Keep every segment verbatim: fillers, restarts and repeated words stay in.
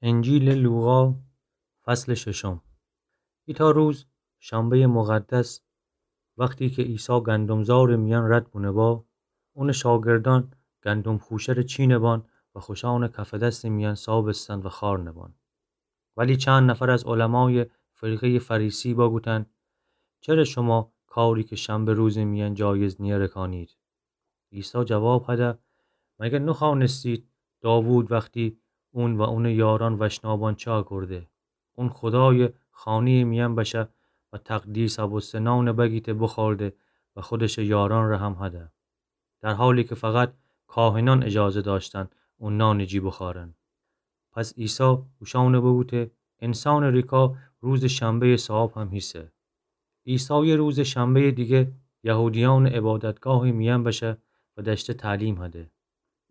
انجیلٚ لوقا، فصلٚ ششم. ایتأ روز، شنبه‌یٚ مقدس، وختی کی عیسی گندم‌زارٚ میأن رد بونه با، اونٚ شاگردأن گندم خوشه‌ره چینه بان و خوشأنٚ کفٚ دستٚ میأن سابستن و خوأرنه بان. ولی چند نفر از علمایٚ فرقه‌یٚ فریسی بگوتن: چره شما کاری کی شنبه روزٚ میأن جایز نییه ره کانید؟ عیسی جواب هده: مگر نخوأنستید داوود وختی اون و اونٚ یارأن وشنا بان چی کرده؟ اون خودایٚ خانه‌یٚ میأن بشه و تقدیس بوسته نانٚ بگیته بخورده و خودشٚ یارأن ره هم هده. در حالی کی فقط کاهنأن اجازه دأشتن اون نانٚ جی بخوأرن. پس عیسی اوشأنٚ بگوته: انسانٚ ریکا روزٚ شنبه‌یٚ صاحب هم هیسه. عیسی یه روزٚ شنبه‌یٚ دیگه یهودیأنٚ عبادتگاهٚ میأن بشه و دأشته تعلیم هده.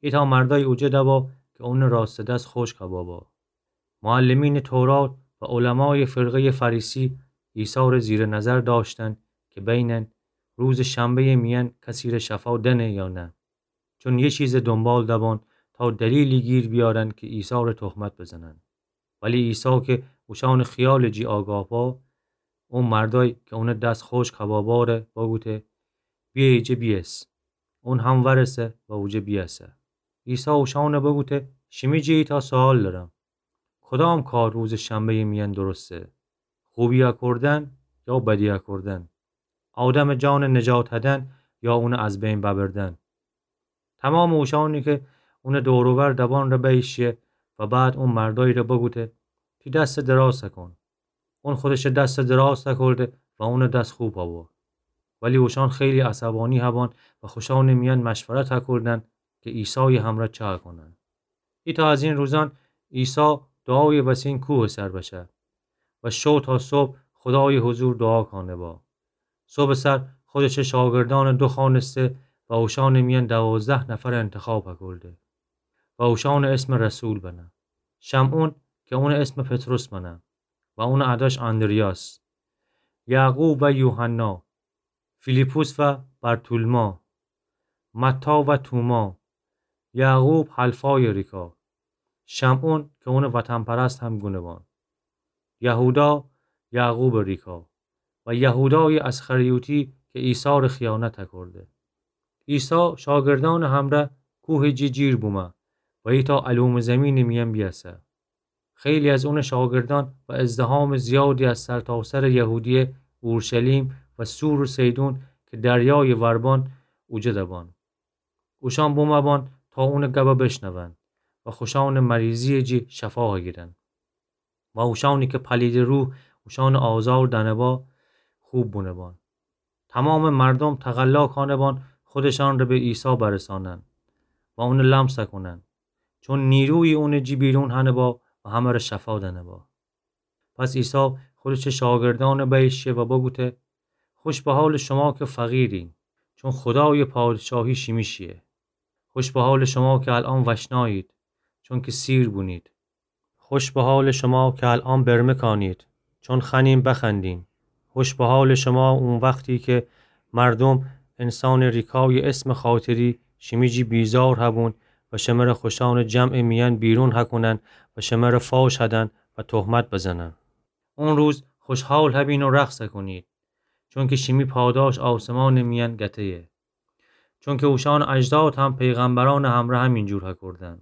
ایتأ مردأی اوجه دبا کی اونٚ راستٚ دس خوشک ببا. معلمینٚ تورات و علمایٚ فرقه‌یٚ فریسی عیسی ره زیرٚ نظر دأشتن کی بینن روزٚ شنبه‌یٚ میأن کسی ره شفا دأنه یا نه. چون یه چیزٚ دونبال دبان تا دلیلی گیر بیأرن کی عیسی ره تهمت بزنن. ولی عیسی کی اوشأنٚ خیالٚ جی آگاه با، او مردأی کی اونٚ دس خوشک ببا ره بگوته: بیه ایجه بیأس. اون هم ورسه و اوجه بیأسه. عیسی اوشأنٚ بگوته: شیمی جی ایتأ سوال دأرم. کدام کار روزٚ شنبه‌یٚ میأن درسته؟ خوبی کوردن یا بدی کوردن؟ آدمٚ جانٚ نجات هدن یا اونٚ از بین ببردن؟ تومامٚ اوشأنی کی اونٚ دور و ور دبان ره بیشیه و بعد او مردأی ره بگوته: تی دستٚ دراز کون. اون خودشٚ دستٚ دراز کورده و اونٚ دس خوب بو. ولی اوشأن خیلی عصبانی بان و خوشأنٚ میأن مشورت کوردن کی عیسایٚ همرأ چه کونن. ایتأ از این روزأن عیسی دعایٚ وسین کوهٚ سر بشه و شو تا صبح خودایٚ حضور دعا کانه با. صبحٚ سر خودشٚ شاگردأن دوخوأنسته و اوشأنٚ میأن دوازده نفر انتخاب کورده و اوشأنٚ اسم رسول بنه: شمعون کی اونٚ اسم پطرس بنه و اونٚ اداش آندریاس، یعقوب و یوحنا، فیلیپوس و برتولما، متی و توما، یعقوب حلفایٚ ریکا، شمعون کی اونٚ وطن‌پرست هم گونه بان، یهودا، یعقوبٚ ریکا، و یهودایٚ اسخریوطی کی عیسی ره خیانت کورده. عیسی شاگردأنٚ همرأ کوهٚ جی جیر بومه و ایتأ الومٚ زیمینٚ میأن بیأسه. خیلی از اونٚ شاگردأن و ازدحامٚ زیادی از سرتاسرٚ یهودیه، اورشلیم و صور و صیدون کی دریایٚ ور بان اوجه دبان. اوشأن بومه بان تا اونٚ گبه بشنون و خوشأنٚ مریضییٚ جی شفا گیرن و اوشأنی کی پلیدٚ روح اوشأنٚ آزار دأنه با خوب بونه بان. تومامٚ مردوم تقلا کانه بان خودشأن ره به عیسی برسانن و اونٚ لمس کونن، چون نیرویی اونٚ جی بیرون هنه با و همه ره شفا دأنه با. پس عیسی خودشٚ شاگردأن بیشیه و بگوته: خوش به حالٚ شما کی فقیرین، چون خودایٚ پادشاهی شیمیشیه. خوش به حالٚ شما کی الأن وشنایید، چونکی سیر بونید. خوش به حالٚ شما کی الأن برمه کانید، چون خوأنین بخندین. خوش به حالٚ شما او وختی کی مردوم انسانٚ ریکایٚ اسمٚ خاطری شیمی جی بیزار هبون و شمره خوشأنٚ جمعٚ میأن بیرون هکونن و شمره فاش هدن و تهمت بزنن. او روز خوشحال هبین و رقص هکونید، چونکی شیمی پاداش آسمانٚ میأن گته‌یه. چونکی اوشأنٚ اجداد هم پیغمبرأنٚ همرأ همینجور هکوردن.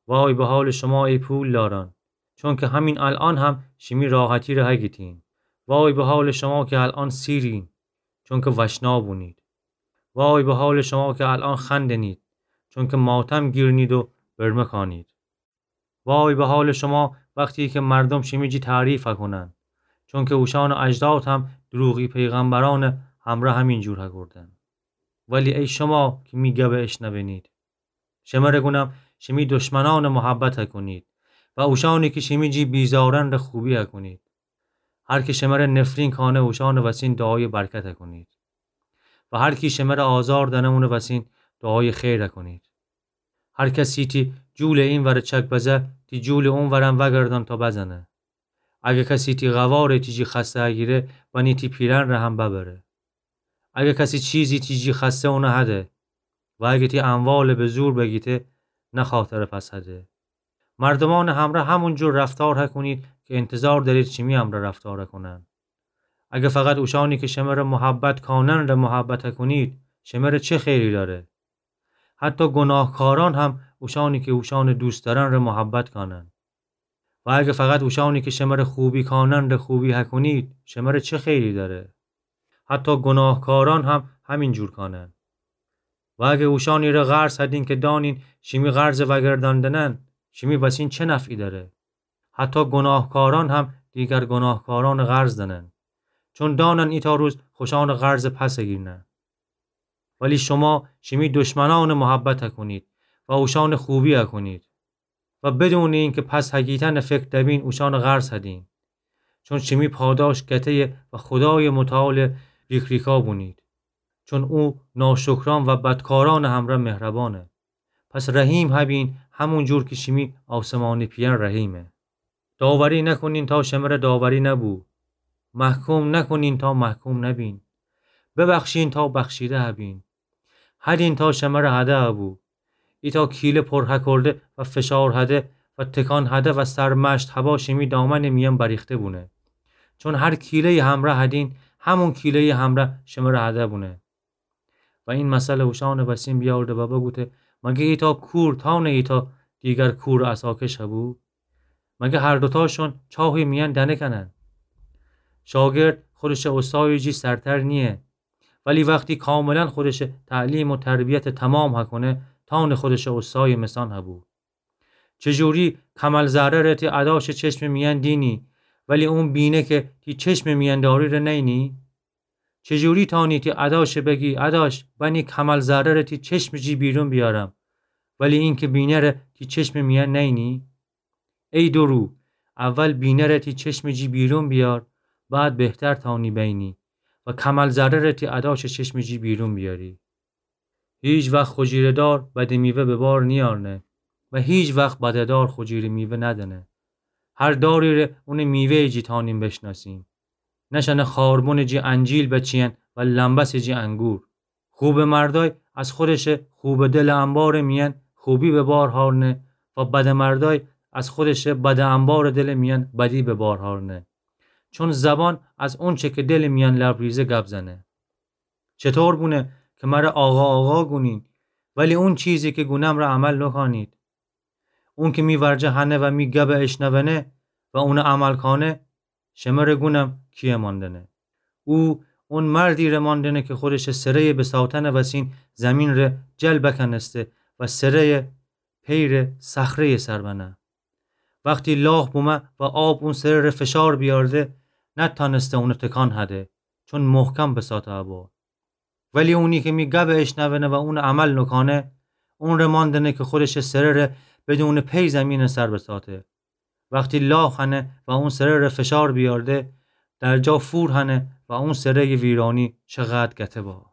وای به حالٚ شما ای پولدارأن، چونکی همین الأن هم شیمی راحتی ره هگیتین. وای به حالٚ شما کی الأن سیرین، چونکی وشنا بونید. وای به حالٚ شما کی الأن خندنید، چونکی ماتم گیرنید و برمه کانید. وای به حالٚ شما وختی کی مردوم شیمی جی تعریف هکونن، چونکی اوشأنٚ اجداد هم دروغی پیغمبرأنٚ همرأ همینجور هکوردن. ولی ای شما کی می گبه اشنونید، شمره گونم شیمی دشمنأن محبت هکونید و اوشأنی کی شیمی جی بیزارن ره خوبی هکونید. هر کی شمره نفرین کانه اوشأنٚ وسین دعایٚ برکت هکونید و هر کی شمره آزار دأنه اونٚ وسین دعایٚ خیر هکونید. هر کسی تی جولٚ اینور چک بزه، تی جولٚ اونورم وأگردان تا بزنه. اگه کسی تی قوارٚ تی جی خوأسته هگیره، بنی تی پیرأن ره هم ببره. اگه کسی چیزی تی جی خوأسته اونه هده و اگه تی اموالٚ به زور بگیته، نخواه تره پس هده. مردومانٚ همرأ همون جور رفتار هکنید که انتظار دأرید شیمی همرأ رفتار هکنن. اگه فقط اوشانی که شمره محبت کانن ره محبت هکنید، شمره چه خیری دأره؟ حتی گناهکاران هم اوشانی که اوشانٚ دوست دأرن ره محبت کانن. و اگه فقط اوشانی که شمره خوبی کانن ره خوبی هکنید، شمره چه خیری دأره؟ حتی گناهکاران هم همین جور کانن. و اگه اوشانی ره قرض هدین که دانین شیمی قرضٚ وأگردأندنن، شیمی وسین چه نفعی دأره؟ حتی گناهکاران هم دیگر گناهکارانٚ قرض دأنن، چون دانن ایتأ روز خوشانٚ قرضٚ پس هگیرنه. ولی شما شیمی دشمنانٚ محبت هکنید و اوشانٚ خوبی هکنید و بدونٚ اینکه پس هگیتنٚ فکر دبین اوشانٚ قرض هدین. چون شیمی پاداش گته‌یه و خودایٚ متعالٚ ریک‌ریکا بونید. چون او ناشکران و بدکارانٚ همرأ مهربانه. پس رحیم هبین همون جور که شیمی آسمانی پئر رحیمه. داوری نکنین تا شمره داوری نبو. محکوم نکنین تا محکوم نبین. ببخشین تا بخشیده هبین. هدین تا شمره هده هبو. ایتأ کیله پر هکرده و فشار هده و تکان هده و سرمشت هبا شیمی دامنٚ میأن بریخته بونه. چون هر کیله‌یٚ همرأ هدین، همون کیله‌یٚ همرأ شمره هده بونه. و این مثل اوشانٚ وسین بیاورده و بگوته: مگه ایتأ کور تأونه ایتأ دیگر کور عصا کش هبو؟ مگه هر دوتاشون چاهی میأن دنکونن؟ شاگرد خودشٚ استایٚ جی سرتر نییه، ولی وختی کاملا خودشٚ تعلیم و تربیتٚ تمام هکنه، تأونه خودشٚ استایٚ مسان هبو. چجوری کمل زره‌ره تی اداشٚ چشمٚ میأن دینی، ولی اون بینه که تی چشمٚ میأن داری ره نینی؟ چجوری تأونی تی اداشٚ بگی: اداش، بنی کمل زره‌ره تی چشمٚ جی بیرون بیارم، ولی اینکه بینه‌ره تی چشمٚ میأن نینی؟ ای دورو، اول بینه‌ره تی چشمٚ جی بیرون بیار، بعد بهتر تأونی بینی و کمل زره‌ره تی اداشٚ چشمٚ جی بیرون بیاری. هیچ وخت خجیره‌دار بدٚ میوه به بار نیارنه و هیچ وخت بده‌دار خجیره میوه ندنه. هر داری ره اونٚ میوه‌یٚ جی تأنیم بشناسیم. نشأنه خاربنٚ جی انجیل بچیین و لمبسٚ جی انگور. خوبٚ مردای از خودشٚ خوبٚ دلٚ انبارٚ میأن خوبی به بار هارنه و بدٚ مردای از خودشٚ بدٚ انبارٚ دلٚ میأن بدی به بار هارنه. چون زبان از اونچه که دلٚ میأن لبریزه گب زنه. چطور بونه که مره آقا، آقا گونین، ولی اون چیزی که گونم ره عمل نوکانید؟ اون که می ورجه هنه و می گبه اشنونه و اونه عمل کانه، شمره گونم کیه ماندنه. او اون مردی ره ماندنه که خودشٚ سره‌یٚ بساتنٚ وسین زیمین ره جل بکنسته و سره‌یٚ پیرٚ صخره‌یٚ سر بنه. وختی لاخ بومه و آب اون سره ره فشار بیارده، نتانسته اونه تکان هده، چون محکم بساته ابو. ولی اونی که می گبه اشنونه و اونٚ عمل نوکانه، اون ره ماندنه که خودشٚ سره ره بدونٚ پی زیمینٚ سر بساته. وختی لاخ هنه و اون سره ره فشار بیارده، در جا فور هنه و اون سره‌یٚ ویرانی چقدر گته با.